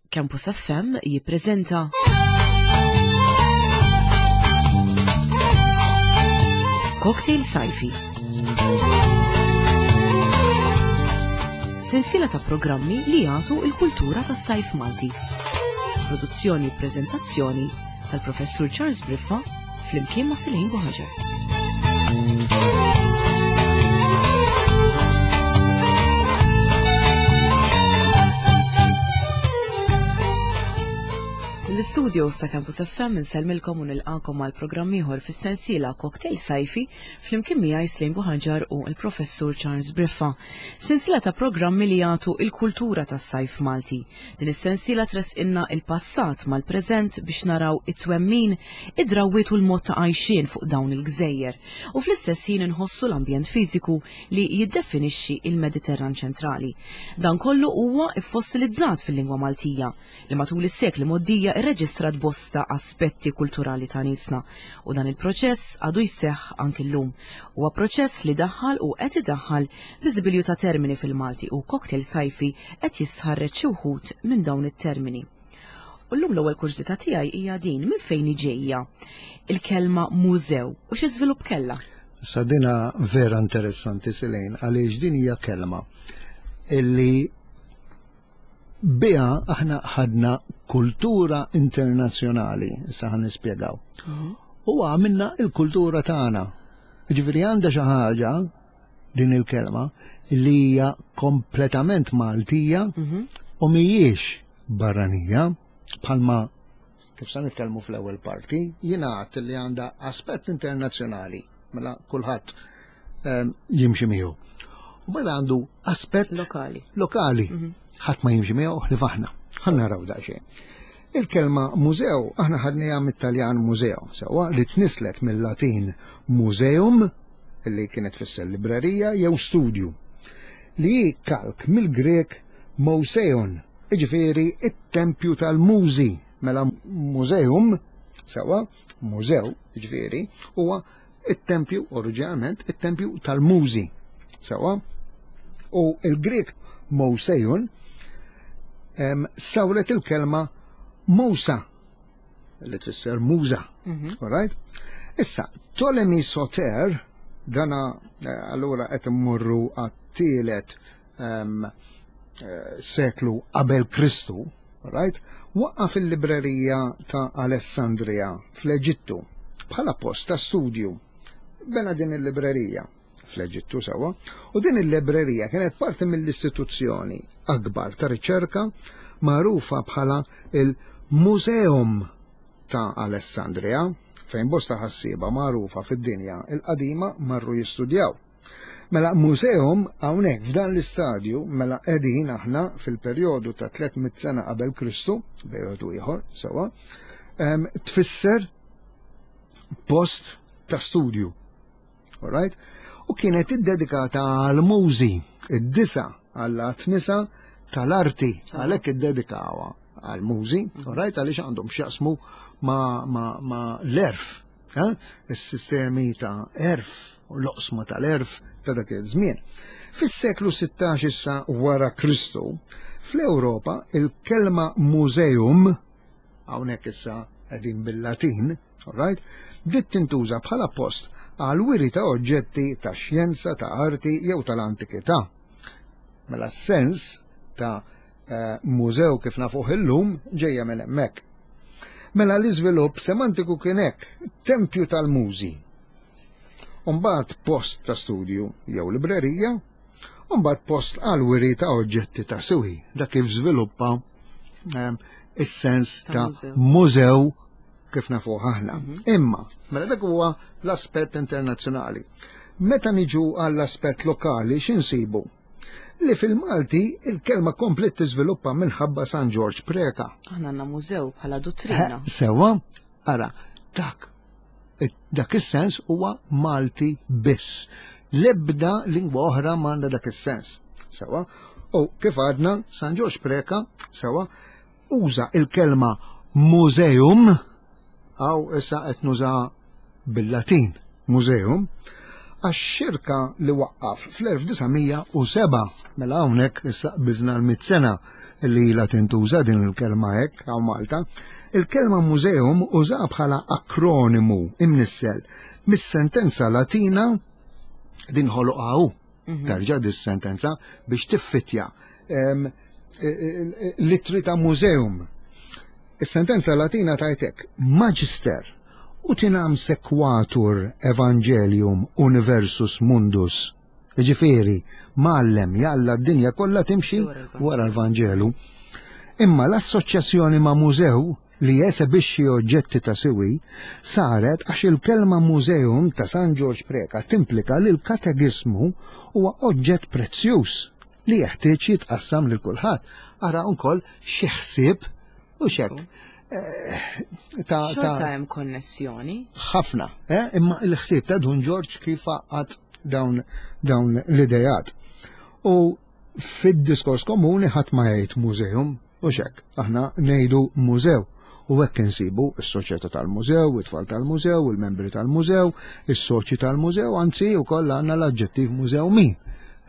Campus FM jippreżenta Cocktail Sajfi. Sensiela ta' programmi li jagħtu il-kultura tas-sajf Malti. Produzzjoni u preżentazzjoni tal-Professur Charles Briffa flimkien ma' Silejn Buħaġar. L-istudios ta' Campus FM insellmilkom u nilqakom għal programm ieħor fis-sensiela Cocktail Sajfi flimkien miegħi Slejn Buħaġar u l-Professur Charles Briffa. Sensiela ta' programmi li jagħtu il-kultura tas-sajf Malti. Din is-sensiela tressqilna il-passat mal-preżent biex naraw it-twemmin, id-drawwiet u l-mod ta' għajxien fuq dawn il-gżejjer u fl-istess ħin inħossu l-ambjent fiżiku li jiddefinixxi il-Mediterran ċentrali. Dan kollu huwa ffossilizzat fil-lingwa Maltija, li matul is-sekli mgħoddija rreġistrat bosta aspetti kulturali ta' niesna u dan il-proċess għadu jseħħ anki llum. Huwa proċess li daħħal u qed idaħħal biżibilju ta' termini fil-Malti u Cocktail Sajfi qed jistħarreġ xi wħud minn dawn it-termini. U llum l-ewwel kurżità tiegħi hija din, minn fejn hi ġejja il-kelma mużew u xi żvilupp kellha? Sa dina vera interessanti Silejn għaliex din hija kelma illi biha aħna ħadna kultura internazzjonali, issa ħan nispjegaw. Mhm. U għamilna il-kultura tagħna. Ġifieri għandha xi ħaġa din il-kelma li hija kompletament Maltija mhm. u mhijiex barranija bħalma kif sa nitkellmu fl-ewwel parti, jingħad li għandha aspett internazzjonali, mela kulħadd ehm, jimxi miegħu. U mela għandu aspett lokali. Lokali. Mhm. Ħadd ma jimxi miegħu li faħna. Ħa naraw daqsxejn. Il-kelma mużew aħna ħadniha mit-Taljan mużew, sewwa li tnislet mill-Latin museum li kienet tfisser librerija jew studju, li hi kalk mill-Grek mouseon, jiġifieri it-tempju tal-mużi, mela museum, sewwa, mużew, jiġifieri, huwa it-tempju, oriġinalment, it-tempju tal-mużi, sewwa. U il-Grek mouseon sawret il-kelma mousa, li tfisser muża. Mhm. All right? Issa, Ptolemy Soter, dana eh, allura qed immorru għat-tielet um, seklu qabel Kristu, right? Waqqaf il-librerija ta' Alessandria fl-Eġittu bħala post ta' studju. Bena din il-librerija fl-Eġittu sewwa, u din il-librerija kienet parti mill-istituzzjoni akbar ta' riċerka magħrufa bħala il-Museum ta' Alessandria, fejn bosta ħassieba magħrufa fid-dinja il-qadima marru jistudjaw. Mela museum hawnhekk f'dan l-istadju mela qegħdin aħna fil-perjodu ta' 300 sena qabel Kristu, bejn wieħed u ieħor sewwa, tfisser post ta' studju. Alright? U kienet iddedikata għal mużi, id-disa għall nisa tal-arti, għalhekk iddedikawha għal mużi, alright, għaliex għandhom x'jaqsmu ma, ma, ma l-erf, eh? is-sistemi ta' erf u l-oqsma tal-erf ta' dak iż-żmien. Fis-seklu 16 issa wara Kristu, fl-Ewropa il-kelma museum hawnhekk issa qegħdin bil-Latin, alright, bdiet tintuża bħala post għal wiri ta' oġġetti ta' xjenza, ta' arti jew tal-antikità. Mela s-sens ta' eh, mużew kif nafuh illum ġejja minn hemmhekk. Mela l-iżvilupp semantiku kien hekk, tempju tal-mużi. Umbagħad post ta' studju jew librerija, umbagħad post għal wiri ta' oġġetti ta' siwi, dak kif żviluppa ehm, is-sens ta' mużew kif nafuh aħna. Mhm. Imma, mela dak huwa l-aspett internazzjonali. Meta niġu għall-aspett lokali x'insibu? Li fil-Malti il-kelma komplet tiżviluppa minħabba San Ġorġ Preka. Aħna għandna mużew bħala duttrina. Eh, sewa, ara, dak dak is-sens huwa Malti biss. L-ebda lingwa oħra m'għandha dak is-sens. Sewa, u kif għadna San Ġorġ Preka, sewa, uża il-kelma museum, għaw issa qed nuża bil-Latin, museum, għax-xirka li waqqaf fl-1907. Mela hawnhekk issa qbiżna l-mitt sena li ilha tintuża din il-kelma hekk hawn Malta. Il-kelma museum użaha bħala akronimu imnissel mis-sentenza Latina din ħoloqha hu. Terġa' dis-sentenza biex tiffittja l-ittri ta' museum. Is-sentenza Latina tgħid hekk, Magister utinam sequatur evangelium universus mundus. Jiġifieri, mgħallem jalla d-dinja kollha timxi wara l-Vanġelu. Imma l-assoċjazzjoni ma' mużew li jesebixxi oġġetti ta' siwi saret għax il-kelma museum ta' San Ġorġ Preca timplika li l-katekiżmu huwa oġġett prezzjuż li jeħtieġ jitqassam lil kulħadd. Ara wkoll xi ħsieb u x'hekk. Eh, ta' Xorta hemm konnessjoni. Ħafna, eh? imma l-ħsieb ta' Dun Ġorġ kif għaqad dawn, dawn l-idejat. U fid-diskors komuni ħadd ma jgħid museum, u xek, aħna ngħidu mużew. U hekk insibu s-soċjetà tal-mużew, it-tfal tal-mużew, il-membri tal-mużew, is-soċi tal-mużew, anzi wkoll għandna l-aġġettiv mużewmin.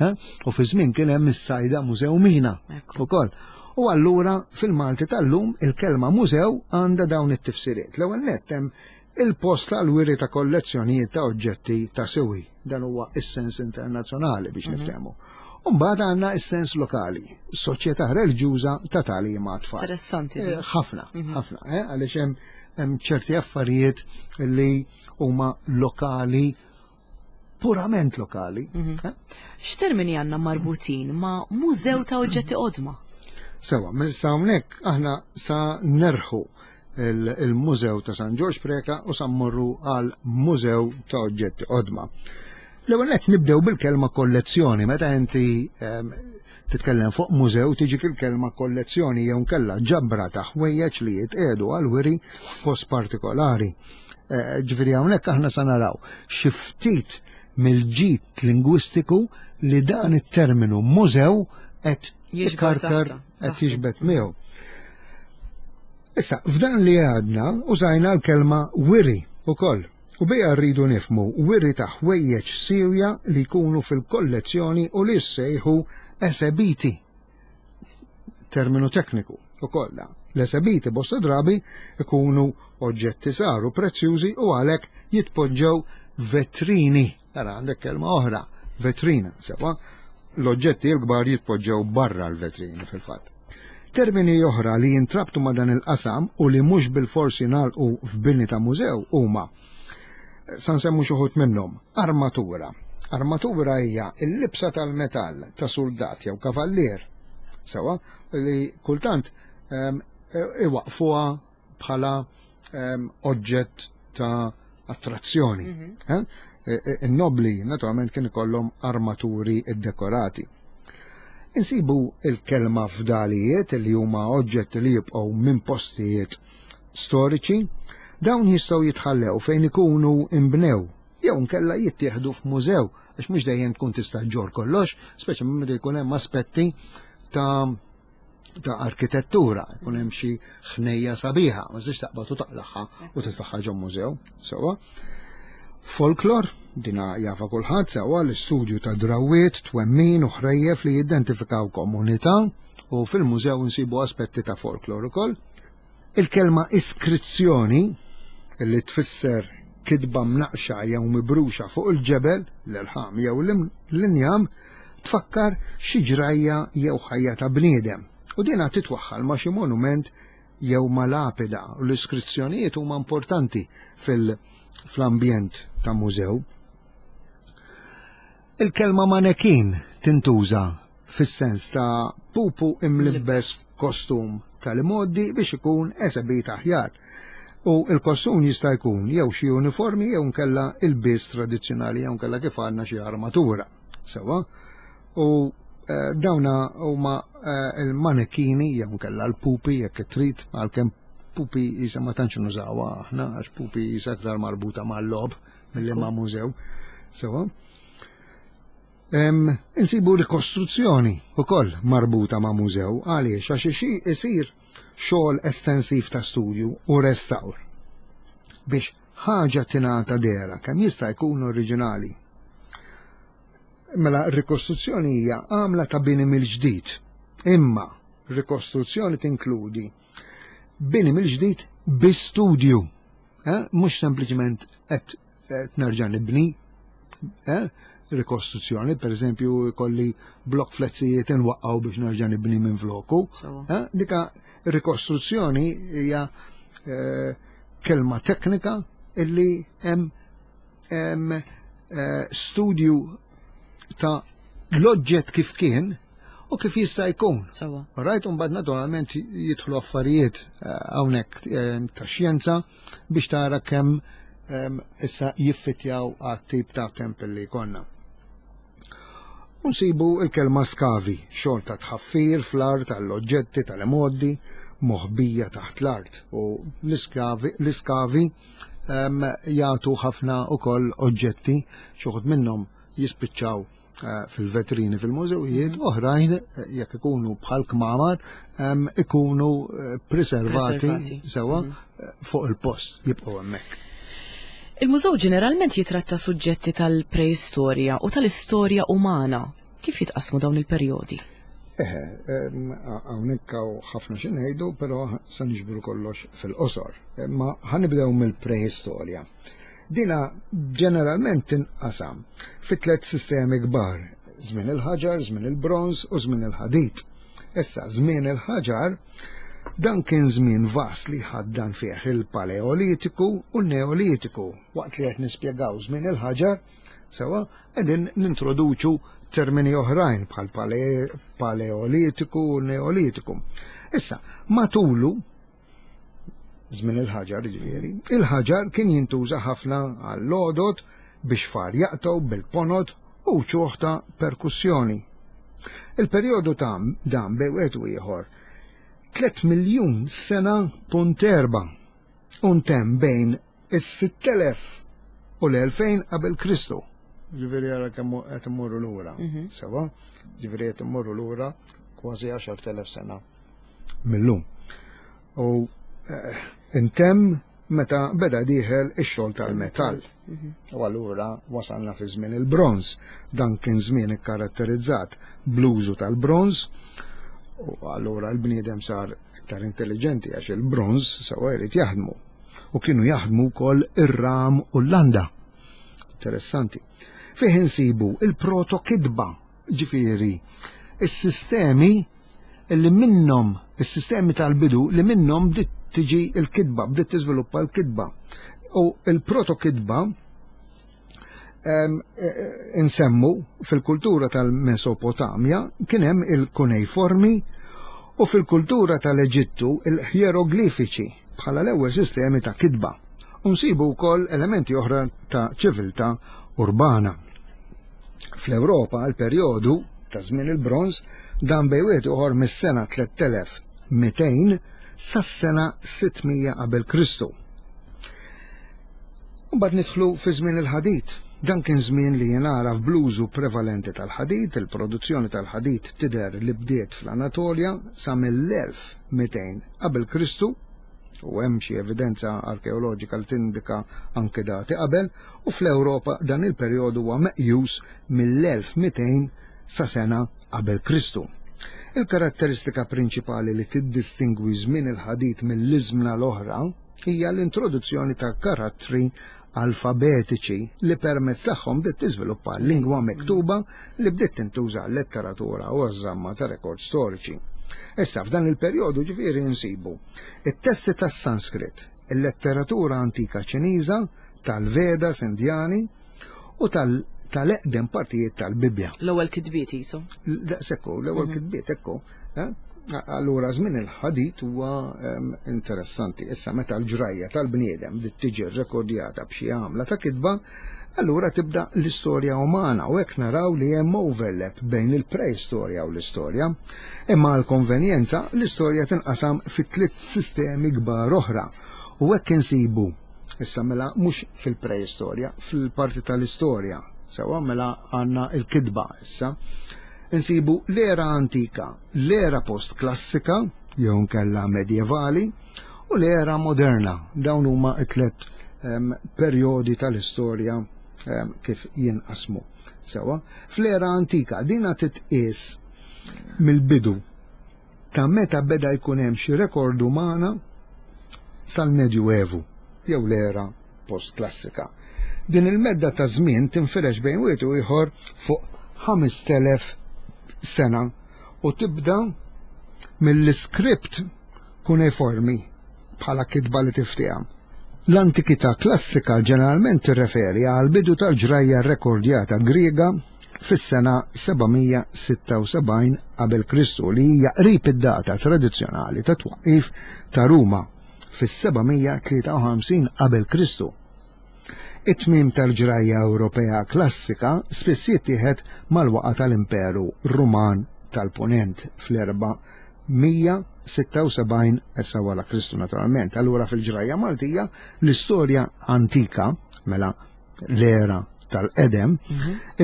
Eh? U fi żmien kien hemm is-sajda mużewmina ukoll. U allura fil-Malti tal-lum il-kelma mużew għandha dawn it-tifsiriet. L-ewwel nett hemm il-post tal-wiri ta' kollezzjonijiet ta' oġġetti ta' siwi. Dan huwa is-sens internazzjonali biex niftehmu. U mbagħad għandna is-sens lokali, soċjetà reliġjuża ta' tagħlim għat-tfal. Interessanti. Ħafna, ħafna, għaliex hemm ċerti affarijiet li huma lokali, purament lokali. X'termini għandna marbutin ma' mużew ta' oġġetti qodma? Sewa, sa hawnhekk aħna sa nerħu il-Mużew ta' San Ġorġ Preca u sa mmorru għal Mużew ta' Oġġetti Qodma. L-ewwel nett nibdew bil-kelma kollezzjoni. Meta inti titkellem fuq mużew tiġik il-kelma kollezzjoni jew nkella ġabra ta' ħwejjeġ li jitqiegħdu għal wiri post partikolari. Ġifieri hawnhekk aħna sa naraw xi ftit mill-ġid lingwistiku li dan it-terminu mużew qed jikarkar qed jiġbed miegħu. Issa, f'dan li għadna użajna l-kelma wiri ukoll. U biha rridu nifhmu wiri ta' ħwejjeġ siewja li jkunu fil-kollezzjoni u li jissejħu esebiti. Terminu tekniku ukoll dan. L-esebiti bosta drabi ikunu oġġetti żgħar u prezzjużi u għalhekk jitpoġġew vetrini. Ara għandek kelma oħra, vetrina, sewa. L-oġġetti l-kbar jitpoġġew barra l-vetrini fil-fatt. Termini oħra li jintrabtu ma' dan il-qasam u li mhux bilfors jingħalqu f'bini ta' mużew huma, sa nsemmu xi wħud minnhom, armatura. Armatura hija l-libsa tal-metall ta' suldat jew kavallier, sewwa, li kultant iwaqqfuha bħala oġġett ta' attrazzjoni. In-nobbli naturalment kien ikollhom armaturi ddekorati. Insibu il-kelma fdalijiet li huma oġġetti li jibqgħu minn postijiet storiċi, dawn jistgħu jitħallew fejn ikunu imbnew jew nkella jittieħdu f'mużew għax mhux dejjem tkun tista' ġġorr kollox, speċjalment meta jkun hemm aspetti ta' ta' arkitettura, jkun hemm xi ħnejja sabiħa, ma tistax taqbad u taqlagħha u titfaħħa ġo mużew, sewwa. Folklor, dina jafa kulħadd sewwa l-istudju ta' drawwiet, twemmin u ħrejjef li jidentifikaw komunità u fil-mużew nsibu aspetti ta' folklor ukoll. Il-kelma iskrizzjoni, li tfisser kitba mnaqqxa jew mibruxa fuq il-ġebel, l-irħam jew l-injam, tfakkar xi ġrajja jew ħajja ta' bniedem, u dinha titwaħħal ma' xi monument jew ma' lapida, u l-iskrizzjonijiet huma importanti fl-ambjent ta' mużew. Il-kelma manekin tintuża fis-sens ta' pupu imlibbes kostum tal-imgħoddi biex ikun esebit aħjar. U l-kostum jista' jkun jew xi uniformi jew nkella ilbies tradizzjonali jew nkella kif għandna xi armatura. Sewwa? U eh, dawna huma eh, il-manekini jew nkella l-pupi jekk trid għalkemm pupi jisa ma tantx nużawha aħna għax pupi jisa aktar marbuta mal-lob milli ma' mużew. Sewwa? Insibu rikostruzzjoni wkoll marbuta ma' mużew għaliex għax isir xogħol estensiv ta' studju u restawr biex ħaġa tingħata dehra kemm jista' jkun oriġinali. Mela r-rikostruzzjoni hija għamla ta' bini mill-ġdid. Imma rikostruzzjoni tinkludi bini mill-ġdid bi studju. Eh? Mhux sempliċement qed nerġa' nibni. Eh? Rikostruzzjoni, per eżempju, kolli blok flezzijiet inwaqqgħu biex nerġa' nibni minn floku. Eh? Dika rikostruzzjoni hija eh, kelma teknika illi hemm eh, studju ta' l-oġġett kif kien u kif jista' jkun. Sawa. Right, un bad naturalment jidħlu affarijiet eh, hawnhekk eh, ta' xjenza biex tara kemm issa jiffitjaw għat-tip ta' tempel li jkollna. Unsibu il-kelma skavi, xogħol ta' tħaffir fl-art għall-oġġetti tal-imoddi moħbija taħt l-art u l-iskavi jagħtu ħafna ukoll oġġetti xi wħud minnhom jispiċċaw eh, fil-vetrini fil-mużewijiet, mhm. oħrajn eh, jekk ikunu bħal kmamar ikunu eh, preservati sewa mhm. fuq il-post jibqgħu hemmhekk. Il-mużew ġeneralment jitratta suġġetti tal-preistorja u tal-istorja umana. Kif jitqasmu dawn il-perjodi? Eħe, hawnhekk hawn ħafna xi ngħidu, però se niġbru kollox fil-qosor. Ma ħanibdew mill-preistorja. Dina ġeneralment tinqasam fi tliet sistemi kbar, żmien il-ħaġar, żmien il-bronż u żmien il-ħadid. Issa, żmien il-ħaġar dan kien żmien vast li ħaddan fih il-Paleolitiku u n-Neolitiku. Waqt li qed nispjegaw żmien il-ħaġar, Sewa, qegħdin nintroduċu termini oħrajn bħal paleolitiku u neolitiku. Issa, matulu, żmien il-ħaġar ġifieri, il-ħaġar kien jintuża ħafna għall-għodod biex far jaqtgħu bil-ponot u ċuħ ta' perkussjoni. Il-perjodu ta' dan bej wieħed u ieħor 3 miljun sena punt erba' u ntemm bejn is-6000 u l-2000 qabel Kristu. Ġifieri ara kemm qed immorru lura. Mhm. Sewa, ġifieri qed immorru lura kważi 10,000 sena millum. U eh, intemm meta beda dieħel ix-xogħol tal-metall. Mhm. U allura wasalna fi żmien il-bronż. Dan kien żmien ikkaratterizzat bl-użu tal-bronż u allura l-bniedem sar iktar intelligenti għax il-bronż sewa jrid jaħdmu. U kienu jaħdmu wkoll ir-ram u l-landa. Interessanti. Fih insibu il-proto-kitba, ġifieri, is-sistemi li minnhom, is-sistemi tal-bidu li minnhom bdiet tiġi l-kitba, bdiet tiżviluppa l-kitba. U il-proto-kitba E, insemmu fil-kultura tal-Mesopotamja kien hemm il-kunejformi u fil-kultura tal-Eġittu il-ħieroglifiċi bħala l-ewwel sistemi ta' kitba. U nsibu wkoll elementi oħra ta' ċiviltà urbana. Fl-Ewropa l-perjodu ta' żmien il-bronż dan bej wieħed ieħor mis-sena 3200 sas-sena 600 qabel Kristu. Mbagħad nidħlu fi żmien il-ħadid. Dan kien żmien li jingħaraf bl-użu prevalenti tal-ħadid, il-produzzjoni tal-ħadid tidher li bdiet fl-Anatolja sa mill-1200 qabel Kristu, u hemm xi evidenza arkeoloġika li tindika anke dati qabel, u fl-Ewropa dan il-perjodu huwa meqjus mill-1200 sa sena qabel Kristu. Il-karatteristika prinċipali li tiddistingwi żmien il-ħadid mill-iżmna l-oħra hija l-introduzzjoni ta' karattri alfabetiċi li permezz tagħhom bdiet tiżviluppa lingwa miktuba li bdiet tintuża għal-letteratura u għaż-żamma ta' rekords storiċi. Issa f'dan il-perjodu ġifieri nsibu it-testi tas-Sanskrit, il-letteratura antika Ċiniża, tal-Vedas Indjani u tal-eqdem partijiet tal-Bibbja. L-ewwel kitbiet jisu. Daqshekk l-ewwel mhm. kitbiet ekku. Eh? Allura żmien il-ħadid huwa ehm, interessanti. Issa meta l-ġrajja tal-bniedem bdiet tiġi rrekordjata b'xi għamla ta' kitba, allura tibda l-istorja umana u hekk naraw li hemm overlap bejn il-preistorja u l-istorja. Imma għall-konvenjenza l-istorja tinqasam fi tliet sistemi kbar oħra u hekk insibu Issa mela mhux fil-preistorja, fil-parti tal-istorja. Sewa mela għandna l-kitba issa. Insibu l-era antika, l-era post-klassika, jew nkella medjevali, u l-era moderna. Dawn huma t-tlet perjodi tal-istorja. kif jinqasmu. Sewa, fl-era antika dina titqies mill-bidu ta' meta beda jkun hemm xi rekord umana sal-Medjuevu jew l-era postklassika. Din il-medda ta' żmien tinfirex bejn wieħed u ieħor fuq 5000 sena u tibda mill-iskript kuneiformi bħala kitba li tiftiehem. L-antikità klassika ġeneralment tirreferi għall-bidu tal-ġrajja rrekordjata Griega fis-sena 776 qabel Kristu li hija qrib id-data tradizzjonali tat-twaqqif ta' Ruma fis-753 qabel Kristu. It-tmiem tal-ġrajja Ewropea klassika spiss jittieħed mal-waqgħa tal-Imperu Ruman tal-Punent fl-476 issa wara Kristu naturalment. Allura fil-ġrajja Maltija l-istorja antika, mela l-era tal-qedem,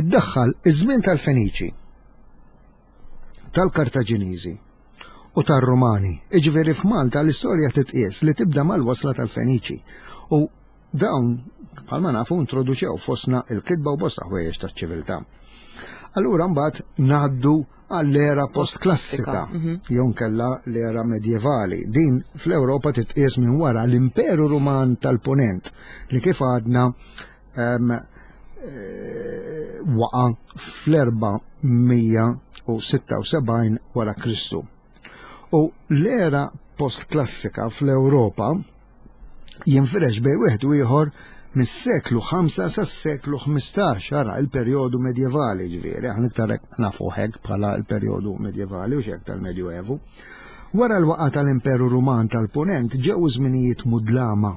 iddaħħal iż-żmien tal-Feniċi, tal-Kartaġiniżi u tar-Rumani. Iġifieri f'Malta l-istorja titqies li tibda mal-wasla tal-Feniċi u Dawn, bħalma nafu, introduċew fostna il-kitba u bosta ħwejjeġ taċ-ċiviltà. Allura mbagħad ngħaddu għall-era postklassika, jew nkella l-era medjevali. Din fl-Ewropa titqies minn wara l-Imperu Ruman tal-Punent li kif għadna waqa' fl-476 wara Kristu. U l-era postklassika fl-Ewropa jinfirex bejn wieħed u ieħor mis-seklu 5 sas-seklu 15, ara il-perjodu medjevali ġifieri, aħna iktar nafu hekk bħala l-perjodu medjevali u x'hekk tal-Medjuevu. Wara l-waqa tal-Imperu Ruman tal-Punent ġew żminijiet mudlama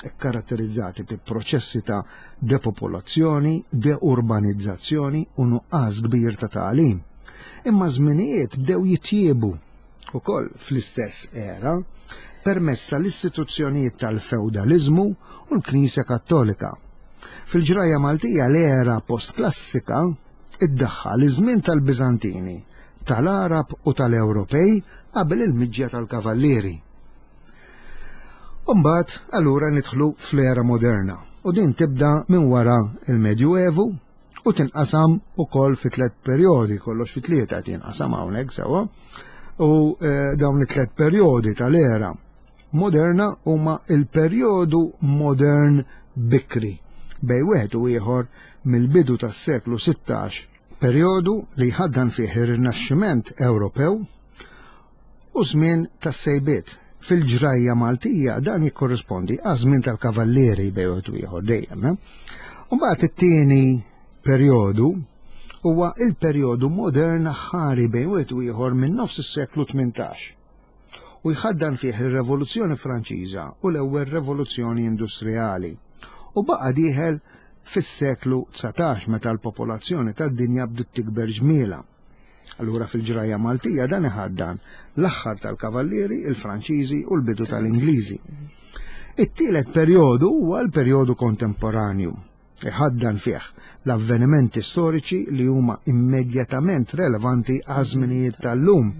kkaratterizzati bi proċessi ta' depopolazzjoni, deurbanizzazzjoni u nuqqas kbir ta' tagħlim. Imma żminijiet bdew jitjiebu ukoll fl-istess era permezz tal-istituzzjonijiet tal-fewdaliżmu u l-Knisja Kattolika. Fil-ġrajja Maltija l-era postklassika iddaħħal iż-żmien tal-Biżantini, tal-Għarab u tal-Ewropej qabel il-miġja tal-Kavallieri. U mbagħad allura nidħlu fl-era moderna u din tibda minn wara il-Medjuevu u tinqasam ukoll fi tliet perjodi, kollox fi tlieta qed jinqasam hawnhekk sewwa. U eh, dawn it-tliet perjodi tal-era moderna huma il-perjodu modern bikri bej wieħed u ieħor mill-bidu tas-seklu 16, perjodu li jħaddan fih ir-Rinaxximent Ewropew u żmien tas-sejbiet. Fil-ġrajja Maltija dan jikkorrispondi għaż-żmien tal-Kavallieri bejn wieħed u ieħor dejjem. Eh? U mbagħad it-tieni perjodu huwa il-perjodu modern ħari bejn wieħed u ieħor minn nofs is-seklu 18 u jħaddan fih ir-Revoluzzjoni Franċiża u l-ewwel Revoluzzjoni Industrijali u baqa' dieħel fis-seklu 19 meta l-popolazzjoni tad-dinja bdiet tikber ġmiela. Allura fil-ġrajja Maltija dan iħaddan l-aħħar tal-Kavallieri, il-Franċiżi u l-bidu tal-Ingliżi. It-tielet perjodu huwa l-perjodu kontemporanju. Iħaddan fih l-avvenimenti storiċi li huma immedjatament relevanti għaż-żminijiet tal-lum.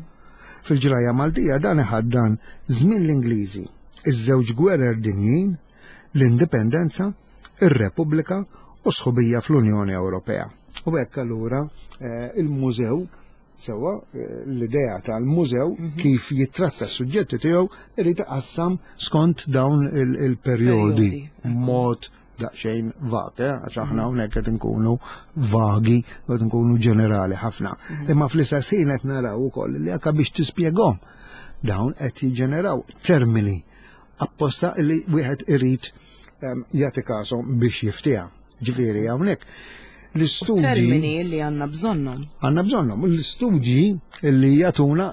Fil-ġrajja Maltija dan iħaddan żmien l-Ingliżi, iż-żewġ gwerer dinjin, l-Indipendenza, ir-Repubblika u sħubija fl-Unjoni Ewropea. U hekk allura eh, il-mużew sewa eh, l-idea tal-mużew mhm. kif jittratta s-suġġetti tiegħu irid iqassam skont dawn il-perjodi mod daqsxejn vag, eh, għax aħna mhm. hawnhekk qed inkunu vagi, qed inkunu ġenerali ħafna. Mhm. Imma fl-istess ħin qed naraw ukoll li anke biex tispjegahom dawn qed jiġġeneraw termini apposta li wieħed irid ehm, jagħti każhom biex jiftiha. Ġifieri hawnhekk l-istudji. Termini li għandna bżonnhom. Għandna bżonnhom. L-istudji li jagħtuna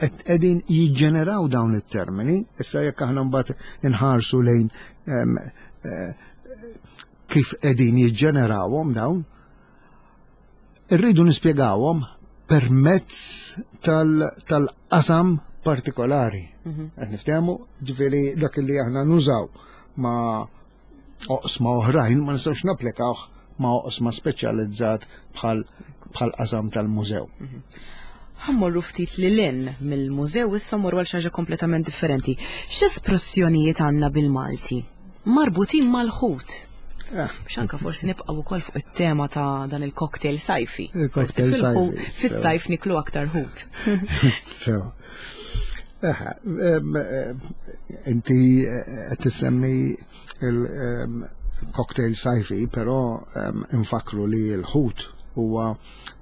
qegħdin jiġġeneraw dawn it-termini, issa jekk aħna mbagħad inħarsu lejn ehm, eh, kif qegħdin jiġġenerawhom dawn, Irridu nispjegawhom permezz tal-qasam partikolari. Mhm. Qed niftehmu, ġifieri dak li aħna nużaw ma' oqsma oħrajn ma nistgħux napplikawh ma' oqsma speċjalizzat bħal qasam tal-mużew. Mhm. Ħammorru ftit lil hinn mill-mużew issa morru għal xi ħaġa kompletament differenti. X'espressjonijiet għandna bil-Malti marbutin mal-ħut? Eh. Biex anka forsi nibqgħu wkoll fuq it-tema ta' dan il-cocktail sajfi. Il-cocktail sajfi. Fis-sajf niklu aktar ħut. So. Eh, inti qed tissemmi il-cocktail sajfi, però infakru li l-ħut huwa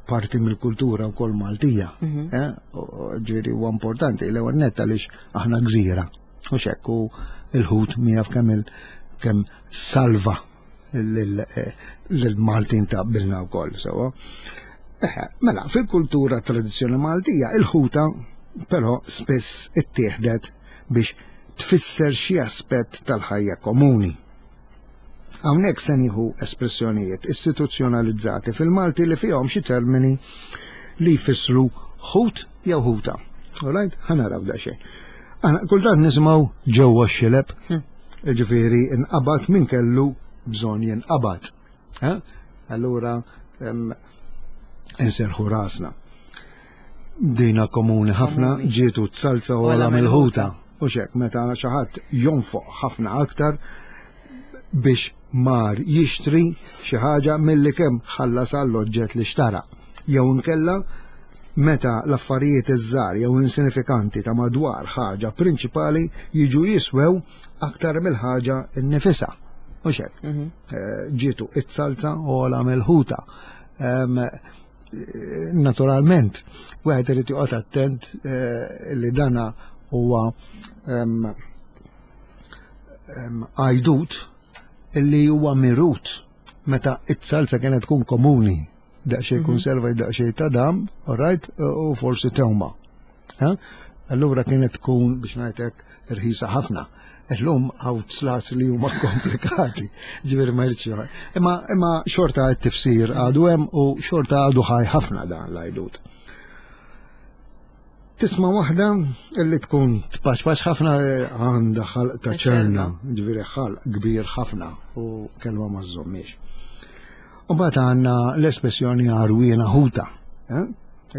parti mill-kultura wkoll Maltija. Mhm. Eh, ġifieri huwa importanti l-ewwel nett għaliex aħna gżira. U xekk u l-ħut miegħu kemm kemm salva lil-Maltin ta' bilna wkoll sewwa. Mela, fil-kultura tradizzjoni Maltija, il-ħuta però spiss ittieħdet biex tfisser xi aspett tal-ħajja komuni. Hawnhekk se nieħu espressjonijiet istituzzjonalizzati fil-Malti li fihom xi termini li jfissru ħut jew ħuta. Alright, ħa naraw daqsxejn. Aħna kultant nisimgħu ġewwa x-xileb, hmm. ġifieri inqabad min kellu bżonn jinqabad. Eh? Allura inserħu rasna. Dina komuni ħafna ġietu t-salza u għala mill-ħuta. U xek, meta xi ħadd jonfoq ħafna aktar biex mar jixtri xi ħaġa milli kemm ħallas għall-oġġett li xtara. Jew inkella meta l-affarijiet iż-żgħar jew insinifikanti ta' madwar ħaġa prinċipali jiġu jiswew aktar mill-ħaġa nnifisha. U xek, mhm. eh, ġietu it-salza u għala mill-ħuta. Naturalment, wieħed irid joqgħod attent eh, li dana huwa għajdut li huwa mirut meta it-salza kienet tkun komuni daqsxejn mhm. konserva daqsxejn ta' dam, all right, u forsi tewma. Allura kienet tkun biex ngħidlek irħisa ħafna. Illum hawn slats li huma komplikati, ġifieri ma jridx Imma imma xorta t-tifsir għadu hemm u xorta għadu ħaj ħafna dan l-għajdut. Tisma' waħda illi tkun tpaċpaċ ħafna eh, għandha ħalq ta' ċerna, ġifieri ħalq kbir ħafna u kelma ma żommiex. U mbagħad għandna l-espressjoni għarwiena ħuta, eh,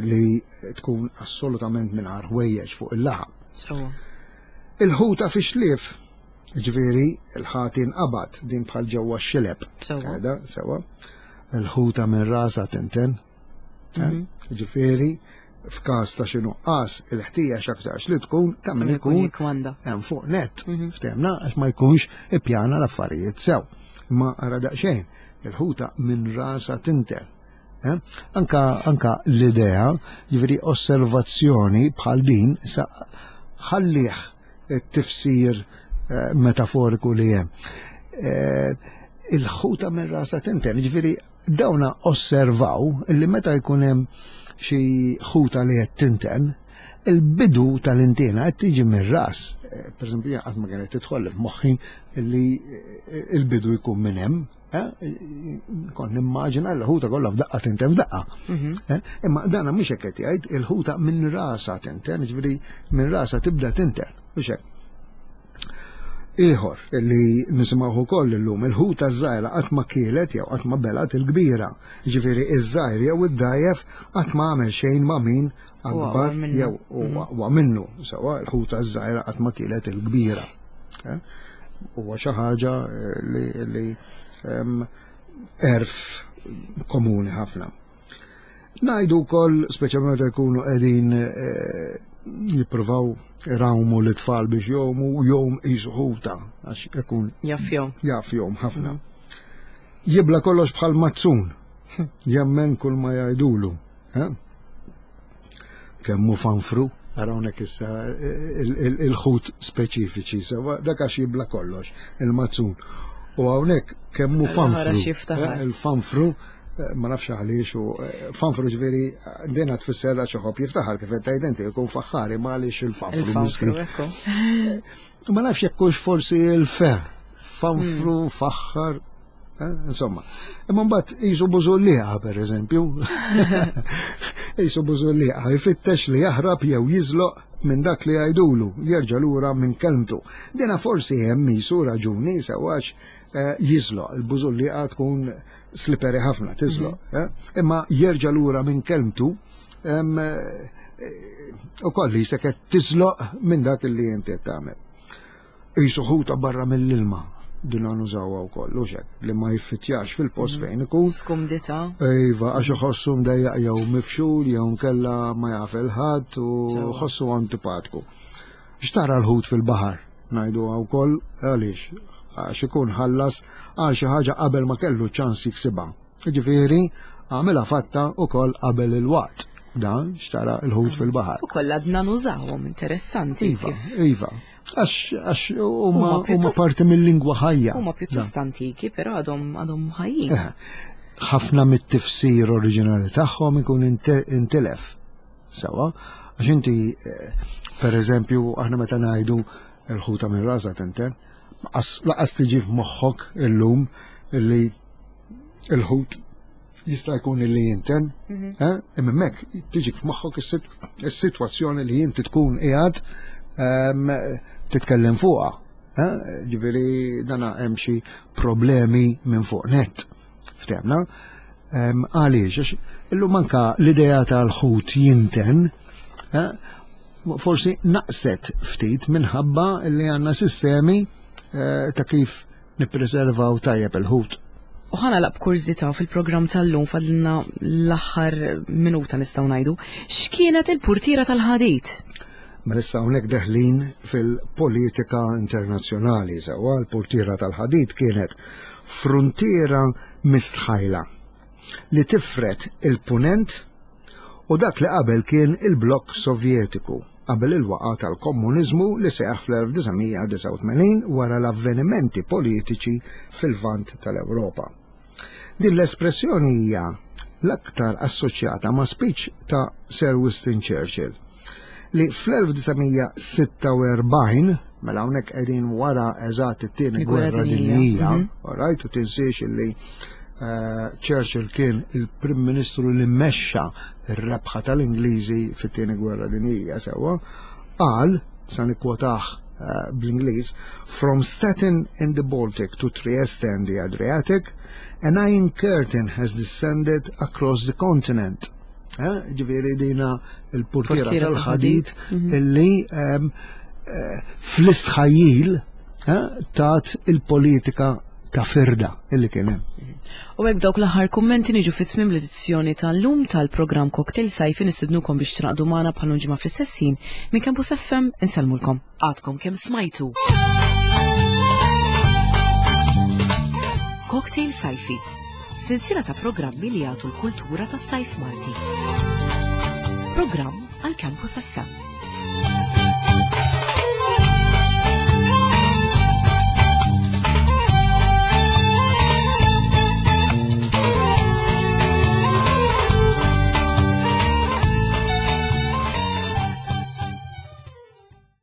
li tkun assolutament mingħajr ħwejjeġ fuq il-laħam. Il-ħuta fi xlief, ġifieri il-ħati nqabad din bħal ġewwa x-xileb. Sewa. Sewa. Il-ħuta minn rasa tinten. Eh? Mhm. Ġifieri f'każ ta' xi nuqqas il-ħtija x'aktarx li tkun ta' min ikun hemm fuq net. Mhm. Ftehmna għax ma jkunx ippjana l-affarijiet sew. Ma ara daqsxejn, il-ħuta minn rasa tinten. Eh? Anka, anka l-idea, ġifieri osservazzjoni bħal din, sa ħallih it-tifsir eh, metaforiku li hemm. Eh, il-ħuta minn rasa tinten, ġifieri dawna osservaw li meta jkun hemm xi ħuta li qed tinten, il-bidu tal-intina qed tiġi mir-ras. Per eżempju, qatt ma kienet tidħol f'moħħi li il-bidu jkun minn hemm. Eh, kont nimmaġina l-ħuta kollha f'daqqa tinten f'daqqa. Mhm. Eh, imma dana mhux hekk qed jgħid il-ħuta minn rasa tinten, ġifieri minn rasa tibda tinten, mhux hekk. Ieħor li nisimgħu ukoll illum il-ħuta żgħira qatt ma kielet jew qatt ma belat il-kbira. Ġifieri iż-żgħir jew id-dajjef qatt ma għamel xejn ma' min akbar jew mhm. aqwa minnu. Sewa l-ħuta żgħira qatt ma kielet il-kbira. Eh? Huwa xi ħaġa eh, li, li erf komuni ħafna. Najdu wkoll, speċjalment meta jkunu qegħdin eh, jippruvaw irawmu l-tfal biex jomu, jom qisu ħuta għax ikun jafjom. Jafjom ħafna. Mhm. Jibla kollox bħal mazzun, jemmen kull ma jgħidulu. Eh? Kemm hu fanfru, ara hawnhekk issa il-ħut speċifiċi, sewa dak għax jibla kollox, il-mazzun. U hawnhekk kemm hu fanfru. Eh, il-fanfru eh, ma nafx għaliex u eh, fanfru ġifieri dina tfisser għax iħobb jiftaħar kif qed tgħid inti jkun faħħari ma għaliex il-fanfru. Ma nafx jekk hux forsi il-fer. Fanfru, hmm. faħħar, Eh, insomma, imma mbagħad qisu bużulliqa pereżempju. Qisu bużulliqa jfittex li jaħrab jew jiżloq minn dak li jgħidulu, jerġa' lura minn kelmtu. Dina forsi hemm qisu raġuni sewax eh, jiżloq, il-bużulliqa tkun slippery ħafna tiżloq, mhm. eh? imma jerġa' lura minn kelmtu u kolli seket tiżloq minn dak li inti tagħmel. Qisu ħuta barra mill-ilma. Dina nużawha wkoll, u xek, li ma jiffittjax fil-post fejn ikun. Skumdità. Iva, għax iħossu mdejjaq jew mifxul jew nkella ma jaf il-ħadd u ħossu antipatku. Xtara l-ħut fil-baħar, ngħidu wkoll għaliex għax ikun ħallas għal xi ħaġa qabel ma kellu ċans jiksibha. Ġifieri għamilha fatta wkoll qabel il-waqt. Dan xtara l-ħut fil-baħar. Ukoll għadna nużawhom interessanti. Iva, iva. Għax huma parti mill-lingwa ħajja. Huma pjuttost antiki, però għadhom għadhom ħajjin. Eh, ħafna mit-tifsir oriġinali tagħhom ikun intilef. Sawa, għax inti, eh, per eżempju, aħna meta ngħidu l-ħuta minn rasa tinten, laqas tiġi f'moħħok illum li il-ħut jista' jkun li jinten, mhm. eh? imma hemmhekk tiġik f'moħħok is-sitwazzjoni li inti tkun qiegħed ehm, titkellem fuqha. Eh? Ġifieri dana hemm xi problemi minn fuq net. Ftemna? Ehm, għaliex, għax illum anka l-idea tal-ħut jinten, eh, forsi naqset ftit minħabba li għandna sistemi ta' kif nippreservaw tajjeb il-ħut. U ħa nagħlaq b'kurżità fil-programm tal-lum fadlilna l-aħħar minuta nistgħu ngħidu. X'kienet il-purtiera tal-ħadid? Mela issa hawnhekk deħlin fil-politika internazzjonali sewwa l-purtiera tal-ħadid kienet fruntiera mistħajla li tifred il-punent u dak li qabel kien il-blokk Sovjetiku qabel il-waqgħa tal-komuniżmu li seħħ fl-1989 wara l-avvenimenti politiċi fil-Lvant tal-Ewropa. Din l-espressjoni hija l-aktar assoċjata ma' speech ta' Sir Winston Churchill li fl-1946 mela hawnhekk qegħdin wara eżatt it-tieni gwerra dinjija, mhm. right, u tinsiex illi eh, Churchill kien il-Prim Ministru li mexxa r-rebħa tal-Ingliżi fit-tieni gwerra dinjija sewwa, qal, sa nikkwotah eh, bl-Ingliż, From Stettin in the Baltic to Trieste in the Adriatic, an iron curtain has descended across the continent. Eh, ġifieri dina il-portiera tal-ħadid mhm. illi ehm, eh, fl-istħajjil tat il-politika ta' firda illi kien hemm. U hekk dawk l-aħħar kummenti niġu fi tmiem l-edizzjoni tal-lum tal-programm Cocktail Sajfi nistidnukom biex tingħaqdu magħna bħal ġimgħa fl-istess ħin minn Campus FM insellmulkom. Għadkom kemm smajtu. Cocktail Sajfi, sensiela ta' programmi li jagħtu l-kultura tas-sajf Malti. Programm għal Campus FM.